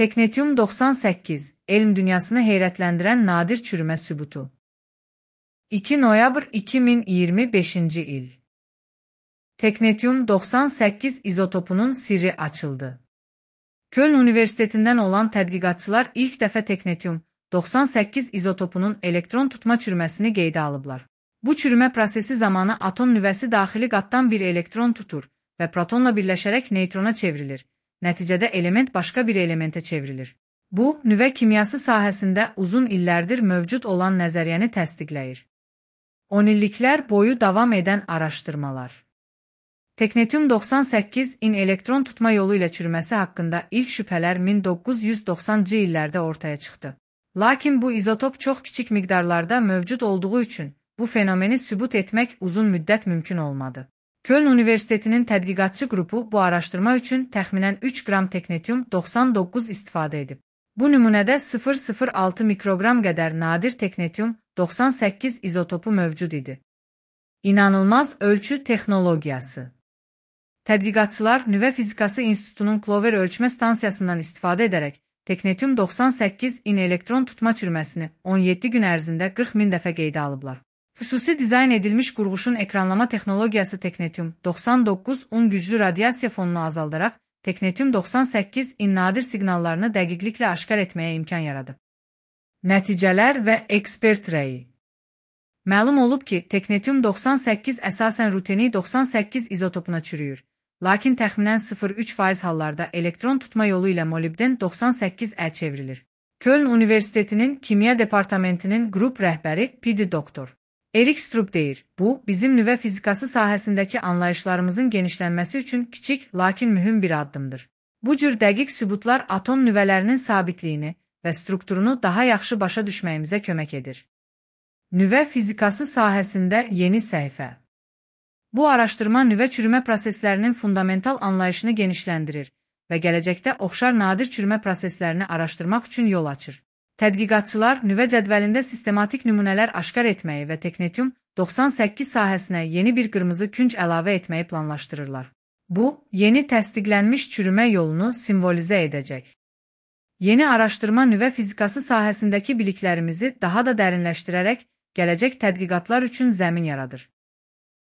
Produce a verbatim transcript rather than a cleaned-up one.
Teknetyum doxsan səkkiz, elm dünyasını heyrətləndirən nadir çürümə sübutu. iki noyabr iki min iyirmi beşinci il. Teknetyum doxsan səkkiz izotopunun sirri açıldı. Köln Universitetindən olan tədqiqatçılar ilk dəfə teknetyum doxsan səkkiz izotopunun elektron tutma çürüməsini qeydə alıblar. Bu çürümə prosesi zamanı atom nüvəsi daxili qatdan bir elektron tutur və protonla birləşərək neytrona çevrilir. Nəticədə element başqa bir elementə çevrilir. Bu, nüvə kimyası sahəsində uzun illərdir mövcud olan nəzəriyyəni təsdiqləyir. on illiklər boyu davam edən araşdırmalar. Teknetyum doxsan səkkizin elektron tutma yolu ilə çürüməsi haqqında ilk şübhələr min doqquz yüz doxsanıncı illərdə ortaya çıxdı. Lakin bu izotop çox kiçik miqdarlarda mövcud olduğu üçün bu fenomeni sübut etmək uzun müddət mümkün olmadı. Köln Universitetinin tədqiqatçı qrupu bu araşdırma üçün təxminən üç qram teknetyum doxsan doqquz istifadə edib. Bu nümunədə sıfır nöqtə sıfır altı mikroqram qədər nadir teknetyum doxsan səkkiz izotopu mövcud idi. İnanılmaz ölçü texnologiyası. Tədqiqatçılar Nüvə Fizikası İnstitutunun Clover ölçmə stansiyasından istifadə edərək teknetyum doxsan səkkizin elektron tutma çürüməsini on yeddi gün ərzində qırx min dəfə qeydə alıblar. Xüsusi dizayn edilmiş qurğuşun ekranlama texnologiyası teknetyum doxsan doqquzun güclü radiasiya fonunu azaldaraq teknetyum doxsan səkkizin nadir siqnallarını dəqiqliklə aşkar etməyə imkan yaradıb. Nəticələr və ekspert rəyi. Məlum olub ki, teknetyum doxsan səkkiz əsasən ruteni doxsan səkkiz izotopuna çürüyür. Lakin təxminən sıfır nöqtə üç faiz hallarda elektron tutma yolu ilə molibden doxsan səkkiz ə çevrilir. Köln Universitetinin Kimya Departamentinin qrup rəhbəri P D doktor Erik Strup deyir, bu, bizim nüvə fizikası sahəsindəki anlayışlarımızın genişlənməsi üçün kiçik, lakin mühüm bir addımdır. Bu cür dəqiq sübutlar atom nüvələrinin sabitliyini və strukturunu daha yaxşı başa düşməyimizə kömək edir. Nüvə fizikası sahəsində yeni səhifə. Bu araşdırma nüvə çürümə proseslərinin fundamental anlayışını genişləndirir və gələcəkdə oxşar nadir çürümə proseslərini araşdırmaq üçün yol açır. Tədqiqatçılar nüvə cədvəlində sistematik nümunələr aşkar etməyi və teknetyum doxsan səkkiz sahəsinə yeni bir qırmızı künc əlavə etməyi planlaşdırırlar. Bu, yeni təsdiqlənmiş çürümə yolunu simvolizə edəcək. Yeni araşdırma nüvə fizikası sahəsindəki biliklərimizi daha da dərinləşdirərək gələcək tədqiqatlar üçün zəmin yaradır.